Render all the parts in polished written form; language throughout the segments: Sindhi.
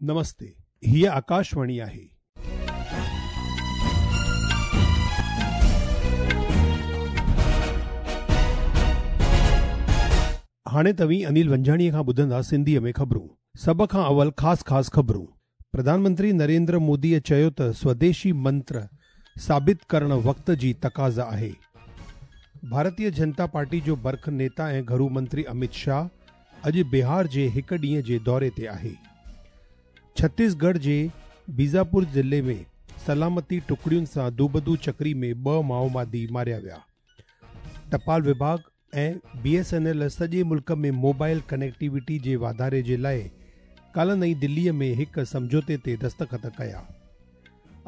نمستي، هيء آڪاشواڻي آهي. هاڻي توهين انيل ونجهاڻيء کان ٻڌندا سنڌيء ۾ خبرون. سڀ کان اول خاص خاص خبرون. پرڌان منتري نريندر موديء چيو ته سوديشي منتر ثابت ڪرڻ وقت جي تقاضا آهي. ڀارتيه جنتا پارٽي جو برک نيتا ۽ گهرو منتري امت شاهه اڄ بهار جي هڪ ڏينهن جي دوري تي آهي. ڇتيسڳڙهه جي بيجاپور ضلعي ۾ سلامتي ٽڪڙين سان دوبدو چڪري ۾ ٻه مائووادي ماريا ويا. ٽپال وڀاڳ ۽ بي ايس اين ايل سڄي ملڪ ۾ موبائل ڪنيڪٽيوٽي جي واڌاري جي لاء ڪالهه نئين دلي ۾ هڪ سمجهوتي تي دستخط ڪيا.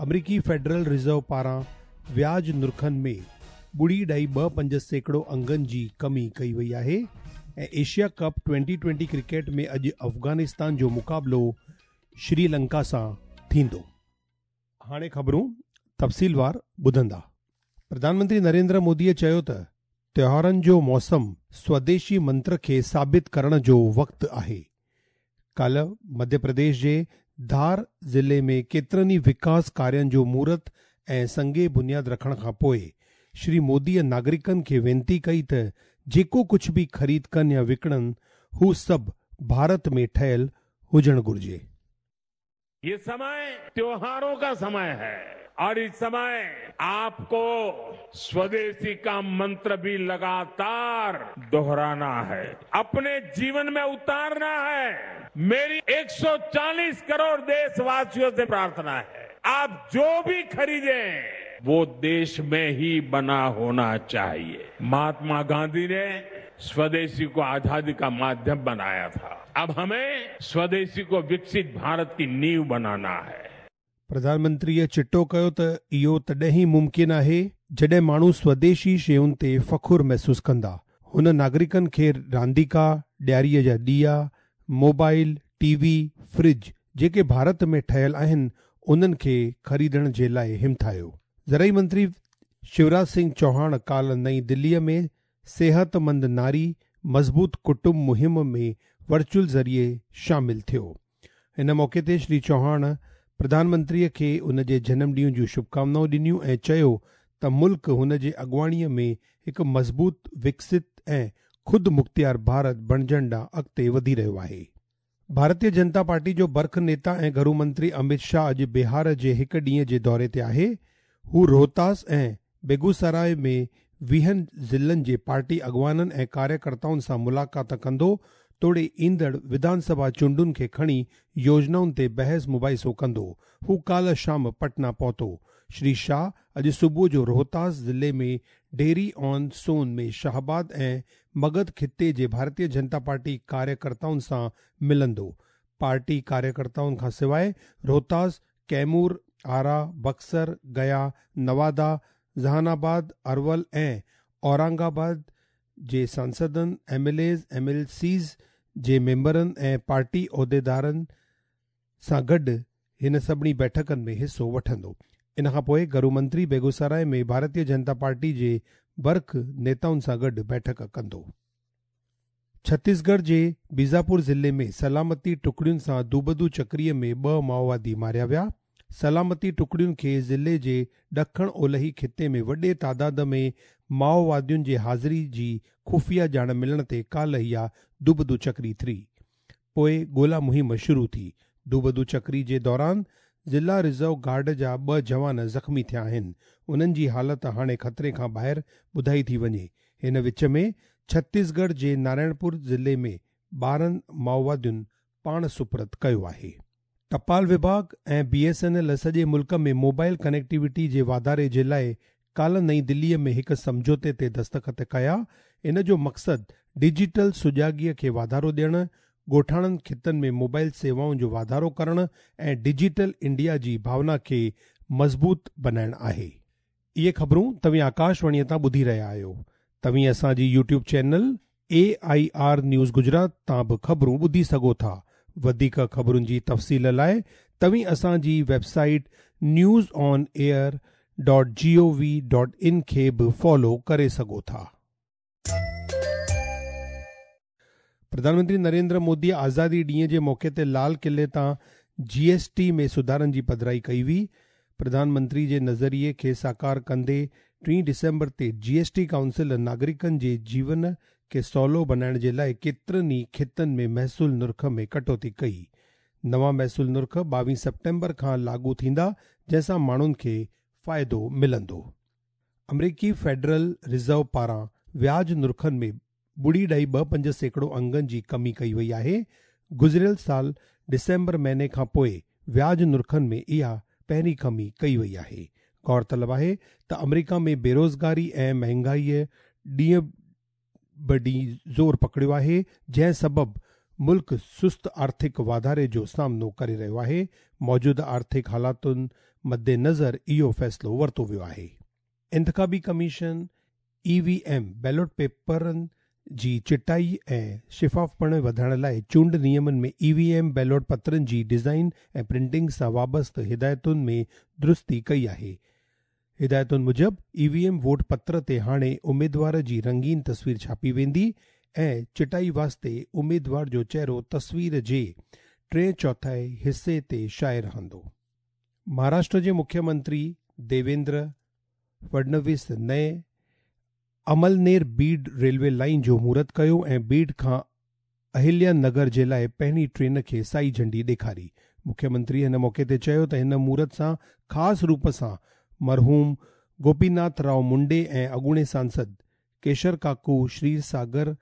آمريڪي فيڊرل رزرو پاران وياج نرخن ۾ 0.25% انگن جي ڪمي ڪئي وئي آهي ۽ ايشيا ڪپ ٽوئنٽي ٽوئنٽي ڪرڪيٽ ۾ اڄ افغانستان جو مقابلو شري لنڪا سان ٿيندو. هاڻي خبرون تفصيلوار ٻڌندا. پرڌان منتري نريندر موديء چيو ته تهوارن جو موسم سوديشي منتر کي ثابت ڪرڻ جو وقت آهي. ڪالهه مڌيه پرديش جي ڌار ضلعي ۾ ڪيترن ئي وڪاس ڪارين جو مهورت ۽ سنگ بنياد رکڻ کان پوء شري موديء ناگرڪن کي وينتي ڪئي ته جيڪو ڪجهه به خريد ڪن يا وڪڻن هو سڀ ڀارت ۾ ٺهيل هجڻ گهرجي. ये समय त्योहारों का समय है और इस समय आपको स्वदेशी का मंत्र भी लगातार दोहराना है, अपने जीवन में उतारना है। मेरी 140 करोड़ देशवासियों से प्रार्थना है, आप जो भी खरीदें वो देश में ही बना होना चाहिए। महात्मा गांधी ने स्वदेशी को आजादी का माध्यम बनाया था, अब हमें स्वदेशी को विकसित भारत की नींव बनाना है। प्रधानमंत्रीअ चिटो कयो त इहो तॾहिं ई मुमकिन आहे जॾहिं माण्हू स्वदेशी शयुनि ते फ़ख़ुरु महसूसु कंदा। हुन नागरिकनि खे रांदीका, ॾियारीअ जा ॾिया, मोबाइल, टीवी, फ्रिज जेके भारत में ठहियल आहिनि उन्हनि खे ख़रीदण जे लाइ हिमथायो। ज़रई मंत्री शिवराज सिंह चौहान काल्ह नई दिल्लीअ में सेहतमंद नारी मज़बूत कुटुंब मुहिम में वर्चुअल ज़रिए शामिल थियो। हिन मौक़े ते श्री चौहान प्रधानमंत्रीअ खे उन जे जनम ॾींहं जूं शुभकामनाऊं ॾिनियूं ऐं चयो त मुल्क हुन जे अॻुवाणीअ में हिकु मज़बूत, विकसित ऐं ख़ुदि मुख़्तियार भारत बणिजण ॾांहुं अॻिते वधी रहियो आहे। भारतीय जनता पार्टी जो बरख नेता ऐं घरू मंत्री अमित शाह अॼु बिहार जे हिकु ॾींहं जे दौरे ते आहे। हू रोहतास ऐं बेगूसराय में 20 ज़िलनि जे पार्टी अॻुवाननि ऐं कार्यकर्ताउनि सां मुलाक़ात कंदो तोड़े ईंदड़ विधानसभा चूंडुनि खे खणी योजनाउनि ते बहस मुबाहिसो कंदो। हू काल्ह शाम पटना पहुतो। श्री शाह अॼु सुबुह जो रोहतास ज़िले में डेरी ऑन सोन में शाहबाद ऐं मगध ख़िते जे भारतीय जनता पार्टी कार्यकर्ताउनि सां मिलंदो। पार्टी कार्यकर्ताउनि खां सवाइ रोहतास, कैमूर, आरा, बक्सर, गया, नवादा, जहानाबाद, अरवल ऐं औरंगाबाद जे सांसदनि, M L As, M L Cs जे मेंबरनि ऐं पार्टी अहुदेदारनि सां गॾु हिन सभिनी बैठकनि में हिसो वठंदो। इन खां पोइ घरू मंत्री बेगूसराय में भारतीय जनता पार्टी जे बरख नेताउनि सां गॾु बैठक कंदो। छत्तीसगढ़ जे बीजापुर ज़िले में सलामती टुकड़ियुनि सां दूबदू चकरीअ में ॿ माओवादी मारिया विया। सलामती टुकड़ियुनि खे ज़िले जे ॾखण ओलही ख़िते में वॾे तादाद में माओवादियुनि जे हाज़िरी जी ख़ुफ़िया ॼाण मिलण ते काल्ह इहा दूबदू चकरी थी। पोइ ॻोल्हा मुहिम शुरू थी। दूबदू चकरी जे दौरान ज़िला रिज़र्व गार्ड जा ॿ जवान ज़ख़्मी थिया आहिनि। उन्हनि जी हालत हाणे ख़तरे खां ॿाहिरि ॿुधाई थी वञे। हिन विच में छत्तीसगढ़ जे नारायणपुर ज़िले में 12 माओवादियुनि पाण सुपुर्द कयो आहे। टपाल विभाग ऐं बी एस एन एल सॼे मुल्क में मोबाइल कनेक्टिविटी जे वाधारे जे लाइ काल्ह नई दिल्लीअ में हिकु सम्झौते ते दस्तख़त कया। इन जो मक़सदु डिजिटल सुजागीअ खे वाधारो ॾियणु, ॻोठाणनि ख़ितनि में मोबाइल सेवाउनि जो वाधारो करणु ऐं डिजिटल इंडिया जी भावना खे मज़बूत बणाइणु आहे। इहे ख़बरूं तव्हीं आकाशवाणीअ तां ॿुधी रहिया आहियो। तव्हीं असांजी YouTube channel AIR news Gujarat तां बि ख़बरूं ॿुधी सघो था। वधीक ख़बरुनि जी तफ़सील लाइ तव्हीं असांजी वेबसाइट newsonair.gov.in खे बि फॉलो करे सघो था। प्रधानमंत्री नरेंद्र मोदी आज़ादी ॾींहं जे मौक़े ते लाल क़िले तां جي ايس ٽي ۾ سڌارن جي پڌرائي ڪئي وئي. پرڌان منتري جي نظريي کي ساڪار ڪندي 3 ڊسمبر تي جي ايس ٽي ڪائونسل ناگرڪن جي جيون کي سولو بنائڻ جي لاءِ ڪيترن ئي کيتن ۾ محصول نرخ ۾ ڪٽوتي ڪئي. نوان محصول نرخ 22 سيپٽمبر کان لاڳو ٿيندا، جنهن سان ماڻهن کي فائدو ملندو. آمريڪي فيڊرل رزرو پاران وياج نرخن ۾ 0.25% انگن جي ڪمي ڪئي وئي آهي. گذريل سال ڊسمبر مهيني کان پوءِ وياج نرخن ۾ اها پهرين ڪمي ڪئي وئي آهي. غور طلب آهي ته آمريڪا ۾ بيروزگاري ۽ مهانگائي ڏينهن به ڏينهن زور پڪڙيو آهي، جنهن سبب ملڪ سست آرٿڪ واڌاري جو سامنو ڪري رهيو آهي. موجوده آرٿڪ حالاتن مدنظر اهو فيصلو ورتو ويو آهي. انتخابي commission E V M belt پيپرن جي چٽائي ۽ شفافپڻ وڌائڻ لاءِ چونڊ نيمن ۾ اي وي ايم بيلٽ پترن جي ڊيزائن ۽ پرنٽنگ سان وابسته هدايتن ۾ درستي ڪئي آهي. هدايتن موجب اي وي ايم ووٽ پتر تي هاڻي اميدوار جي رنگين تصوير ڇاپي ويندي ۽ چٽائي واسطي اميدوار جو چهرو تصوير جي ٽئين چوٿائي حصي تي شايع رهندو. مهاراشٽر جي مکيه منتري ديويندر فڊنويس نئين املنير بيڊ ريلوي لائين جو مهورت ڪيو ۽ بيڊ کان اهليا نگر جي لاءِ پهرين ٽرين کي سائي جهنڊي ڏيکاري. مکيه منتري هن موقعي تي چيو ته هن مهورت سان خاص روپ سان مرحوم گوپيناٿ رائو منڊي ۽ اڳوڻي سانسد ڪيشر ڪاڪو شريرساگر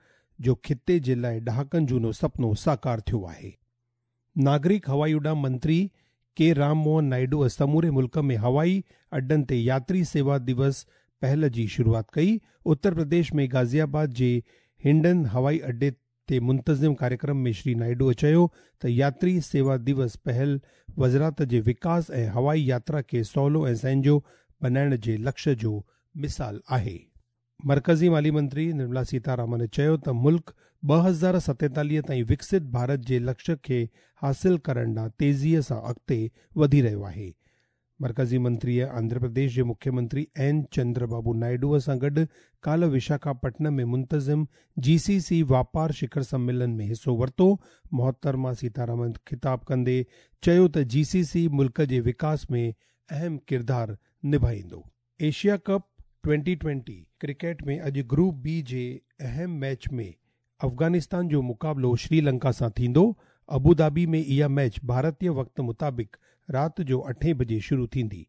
جو خطي جي لاءِ ڏهاڪن جهونو سپنو ساڪار ٿيو آهي. ناگرڪ هوائي اڏام منتري ڪي رام موهن نائيڊوءَ سموري ملڪ ۾ هوائي اڏن تي ياتري سيوا دوس پهل جي شروعات ڪئي. اتر پرديش ۾ غازي آباد جي هنڊن هوائي اڏي تي منتظم ڪاريڪرم ۾ شري نائيڊوءَ چيو ته ياتري سيوا دوس پهل وزارت جي وڪاس ۽ هوائي ياترا کي سولو ۽ سهنجو بنائڻ جي لڪشيه جو مثال آهي. مرڪزي مالي منتري نرملا سيتارامن چيو ته ملڪ 2047 تائين وڪست ڀارت جي لڪشيه کي حاصل ڪرڻ ڏانهن تيزيءَ سان اڳتي وڌي رهيو آهي. مرڪزي منتريءَ آنڌرا پرديش جي مکيه منتري اين چندر بابو نائيڊوءَ سان گڏ ڪالهه وشاکاپٽنم ۾ منتظم جي سي سي واپار شکر سميلن ۾ حصو ورتو. محترمه سيتارامن خطاب ڪندي چيو ته جي سي سي ملڪ جي وڪاس ۾ اهم ڪردار نڀائيندو. ايشيا ڪپ 20-20 ڪرڪيٽ ۾ اڄ گروپ بي جي اهم ميچ ۾ افغانستان جو مقابلو سري لنڪا سان ٿيندو. ابوڌابي ۾ اها ميچ ڀارتي وقت مطابق رات جو 8 بجي شروع ٿيندي.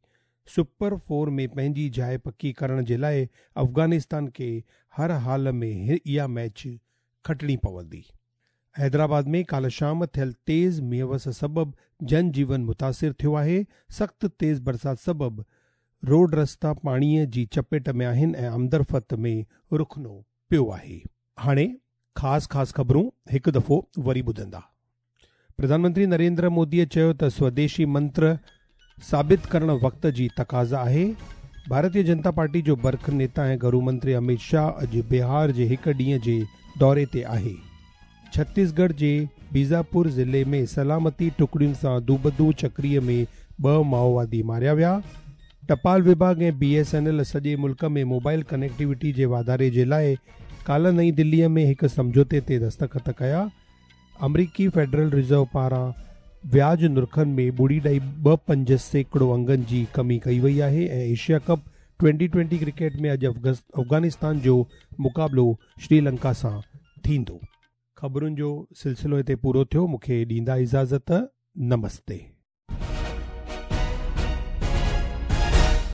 سپر 4 ۾ پنهنجي جاءِ پڪي ڪرڻ جي لاءِ افغانستان کي هر حال ۾ اها ميچ کٽڻي پوندي. حيدرآباد ۾ ڪالهه شام ٿيل تيز مينهن وس سبب جن جيون متاثر ٿيو آهي. سخت تيز برسات سبب روڊ رستا پاڻيءَ جي چپيٽ ۾ آهن ۽ آمدرفت ۾ رخنو پيو آهي. هاڻي خاص خاص خبرون هڪ دفعو وري ٻڌندا. پرڌان منتري نريندر موديءَ چيو ته سوديشي منتر ثابت ڪرڻ وقت جي تقاضا آهي. ڀارتيه جنتا پارٽي جو برک نيتا ۽ گهرو منتري امت شاهه اڄ بهار جي هڪ ڏينهن جي دوري تي آهي. ڇتيسڳڙهه جي بيجاپور ضلعي ۾ سلامتي ٽڪڙين سان دوبدو چڪريءَ ۾ 2 مائووادي ماريا ويا. ٽپال وڀاڳ ۽ بي ايس اين ايل سڄي ملڪ ۾ موبائل ڪنيڪٽيوٽي جي واڌاري جي لاءِ ڪالهه نئين دليءَ ۾ هڪ سمجهوتي تي دستخط ڪيا. آمريڪي فيڊرل رزرو پاران وياج نرخن ۾ 0.25% انگن جي ڪمي ڪئي وئي آهي. ۽ ايشيا ڪپ 20-20 ڪرڪيٽ ۾ اڄ افغانستان جو مقابلو سري لنڪا سان ٿيندو. خبرن جو سلسلو هتي پورو ٿيو. مون کي ڏيندا اجازت. نمستي.